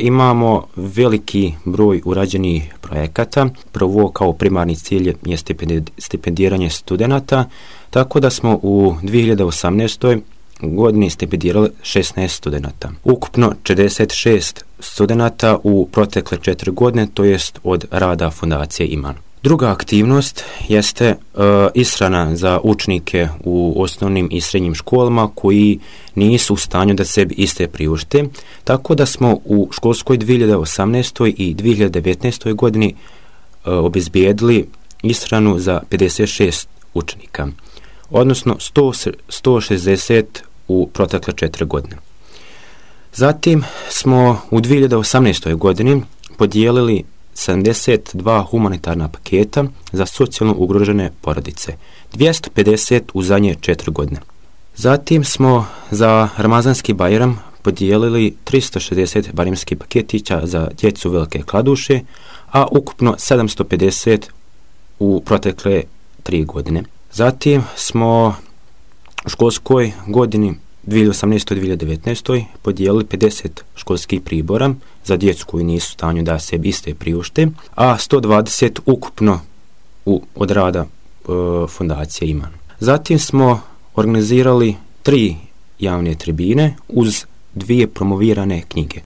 Imamo veliki broj urađenih projekata. Prvo, kao primarni cilj je stipendiranje studenata, tako da smo u 2018. godini stipendirali 16 studenata. Ukupno 46 studenata u protekle 4 godine, to jest od rada Fondacije Iman. Druga aktivnost jeste ishrana za učenike u osnovnim i srednjim školama koji nisu u stanju da sebi iste priušte, tako da smo u školskoj 2018. i 2019. godini obezbijedili ishranu za 56 učenika, odnosno 160 u protekle 4 godine. Zatim smo u 2018. godini podijelili 72 humanitarna paketa za socijalno ugrožene porodice, 250 u zadnje 4 godine. Zatim smo za Ramazanski Bajram podijelili 360 barimskih paketića za djecu Velike Kladuše, a ukupno 750 u protekle 3 godine. Zatim smo u školskoj godini 2018-2019. podijelili 50 školskih pribora za djecu koji nisu u stanju da sebi iste priušte, a 120 ukupno od rada Fondacije Iman. Zatim smo organizirali 3 javne tribine uz 2 promovirane knjige.